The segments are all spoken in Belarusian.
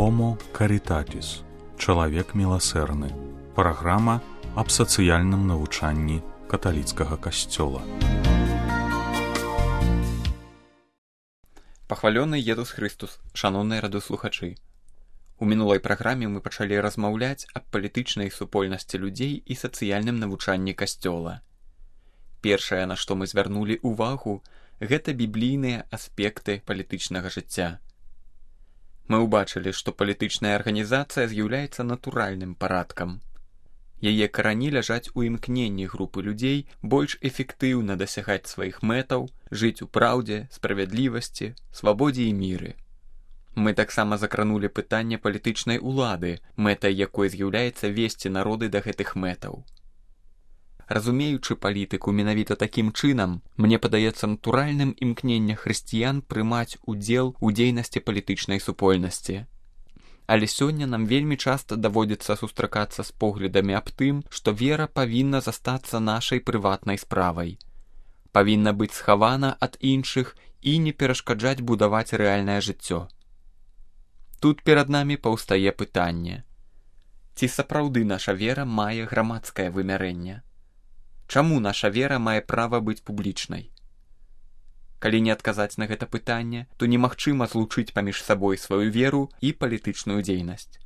Homo Caritatis – чалавек міласэрны. Праграма аб сацыяльным навучанні каталіцкага касцёла. Пахвалёны Езус Христус, шаноўныя радыёслухачы. У мінулай праграме мы пачалі размаўляць аб палітычнай супольнасці людзей і сацыяльным навучанні касцёла. Першае, на што мы звярнулі ўвагу, гэта біблійныя аспекты палітычнага жыцця. Мы ўбачылі, што палітычная арганізацыя з'яўляецца натуральным парадкам. Яе карані ляжаць у імкненні групы людзей больш эфектыўна дасягаць сваіх мэтаў, жыць у праўдзе, справядлівасці, свабодзе і міры. Мы таксама закранулі пытанне палітычнай улады, мэтай якой з'яўляецца весці народы да гэтых мэтаў. Разумеючы палітыку менавіта такім чынам, мне падаецца натуральным імкнення хрысціян прымаць удзел у дзейнасці палітычнай супольнасці. Але сёння нам вельмі часта даводзіцца сустракацца з поглядамі аб тым, што вера павінна застацца нашай прыватнай справай. Павінна быць схавана ад іншых і не перашкаджаць будаваць рэальнае жыццё. Тут перад намі паўстае пытанне: ці сапраўды наша вера мае грамадскае вымярэнне? Чаму наша вера мае права быць публічнай? Калі не адказаць на гэта пытанне, то немагчыма злучыць паміж сабой сваю веру і палітычную дзейнасць.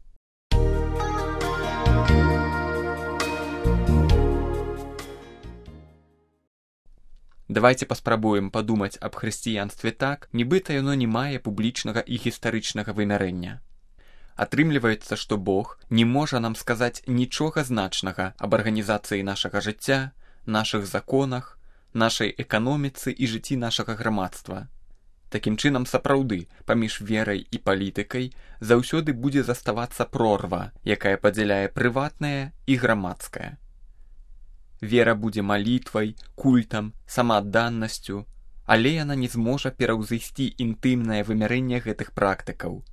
Давайце паспрабуем падумаць аб хрысціянстве так, нібыта яно не мае публічнага і гістарычнага вымярэння. Атрымліваецца, што Бог не можа нам сказаць нічога значнага аб арганізацыі нашага жыцця, нашых законах, нашай эканоміцы і жыцці нашага грамадства. Такім чынам, сапраўды, паміж верай і палітыкай заўсёды будзе заставацца прорва, якая падзяляе прыватнае і грамадскае. Вера будзе малітвай, культам, самаадданасцю, але яна не зможа пераўзысці інтымнае вымярэнне гэтых практыкаў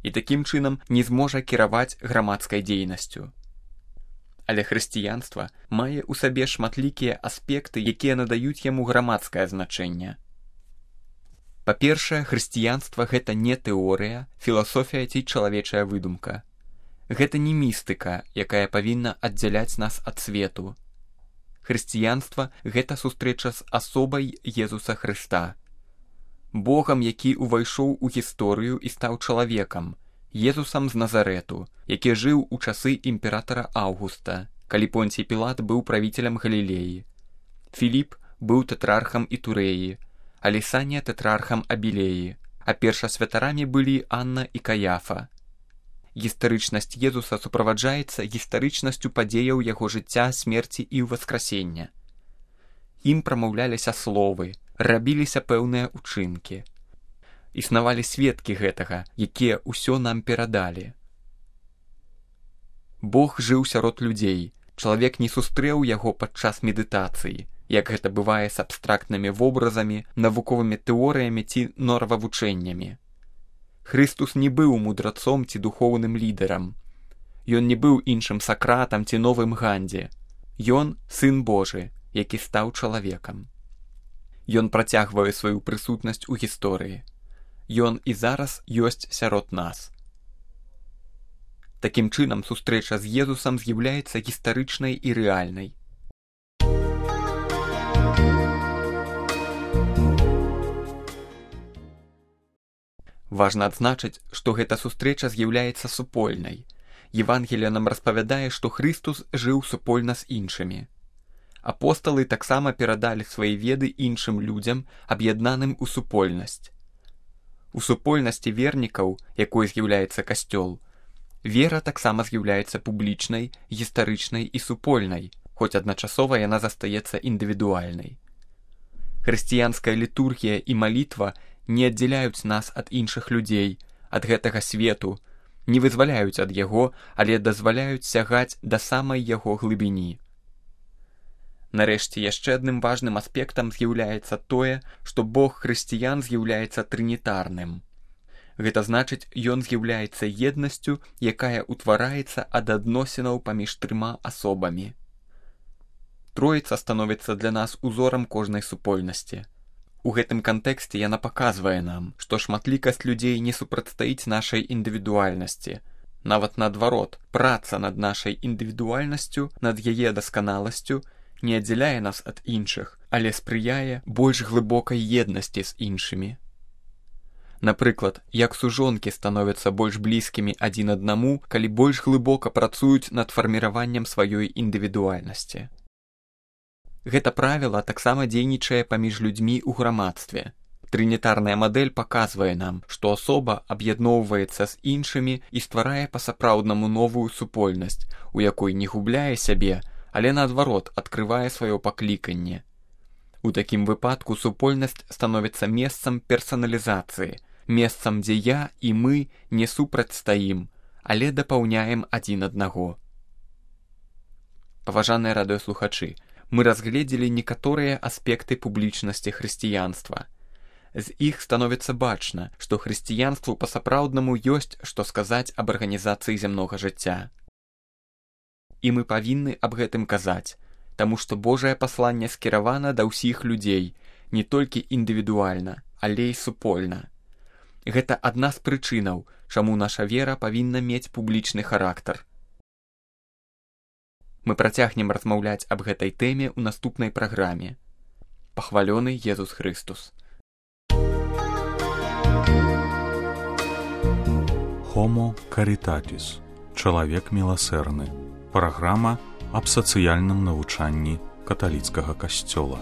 і такім чынам не зможа кіраваць грамадскай дзейнасцю. Але хрысціянства мае ў сабе шматлікія аспекты, якія надаюць яму грамадскае значэнне. Па-першае, хрысціянства гэта не тэорыя, філасофія ці чалавечая выдумка. Гэта не містыка, якая павінна аддзяляць нас ад свету. Хрысціянства гэта сустрэча з асобай Езуса Хрыста, Богам, які ўвайшоў у гісторыю і стаў чалавекам, Езусам з Назарэту, які жыў у часы імператара Аўгуста, калі Понцій Пілат быў правіцелем Галілеі. Філіп быў тэтрархам Ітурэі, а Лісанія тэтрархам Абілеі, а першасвятарамі былі Анна і Каяфа. Гістарычнасць Езуса суправаджаецца гістарычнасцю падзеяў яго жыцця, смерці і ўваскрасення. Ім прамаўляліся словы, рабіліся пэўныя ўчынкі. Існавалі сведкі гэтага, якія ўсё нам перадалі. Бог жыў сярод людзей, чалавек не сустрэў яго падчас медытацыі, як гэта бывае з абстрактнымі вобразамі, навуковымі тэорыямі ці норававучэннямі. Хрыстус не быў мудрацом ці духоўным лідарам. Ён не быў іншым Сакратам ці новым Гандзі. Ён сын Божы, які стаў чалавекам. Ён працягвае сваю прысутнасць у гісторыі. Ён і зараз ёсць сярод нас. Такім чынам, сустрэча з Езусам з'яўляецца гістарычнай і рэальнай. Важна адзначыць, што гэта сустрэча з'яўляецца супольнай. Евангелие нам распавядае, што Хрыстус жыў супольна з іншымі. Апосталы таксама перадалі свае веды іншым людзям, аб'яднаным у супольнасць. У супольнасці вернікаў, якой з'яўляецца касцёл, вера таксама з'яўляецца публічнай, гістарычнай і супольнай, хоць адначасова яна застаецца індывідуальнай. Хрысціянская літургія і малітва не аддзяляюць нас ад іншых людзей, ад гэтага свету, не вызваляюць ад яго, але дазваляюць сягаць да самай яго глыбіні. Нарэшце, яшчэ адным важным аспектам з'яўляецца тое, што Бог хрысціян з'яўляецца трынітарным. Гэта значыць, ён з'яўляецца еднасцю, якая ўтвараецца ад адносінаў паміж трыма асобамі. Троіца становіцца для нас узорам кожнай супольнасці. У гэтым кантэксце яна паказвае нам, што шматлікасць людзей не супрацьстаіць нашай індывідуальнасці. Нават наадварот, праца над нашай індывідуальнасцю, над яе дасканаласцю не аддзяляе нас ад іншых, але спрыяе больш глыбокай еднасці з іншымі. Напрыклад, як сужонкі становяцца больш блізкімі адзін аднаму, калі больш глыбока працуюць над фарміраваннем сваёй індывідуальнасці. Гэта правіла таксама дзейнічае паміж людзьмі ў грамадстве. Трынітарная мадэль паказвае нам, што асоба аб'ядноўваецца з іншымі і стварае па-сапраўднаму новую супольнасць, у якой не губляе сябе, але наадварот адкрывае сваё пакліканне. У такім выпадку супольнасць становіцца месцам персаналізацыі, месцам, дзе я і мы не супрацьстаім, але дапаўняем адзін аднаго. Паважаныя радыёслухачы, мы разгледзелі некаторыя аспекты публічнасці хрысціянства. З іх становіцца бачна, што хрысціянству па-сапраўднаму ёсць, што сказаць аб арганізацыі зямнога жыцця. І мы павінны аб гэтым казаць, таму што Божае пасланне скіравана да ўсіх людзей, не толькі індывідуальна, але і супольна. Гэта адна з прычынаў, чаму наша вера павінна мець публічны характар. Мы працягнем размаўляць аб гэтай тэме ў наступнай праграме. Пахвалёны Езус Хрыстус. Homo Caritatis. Чалавек міласэрны. Праграма аб сацыяльным навучанні каталіцкага касцёла.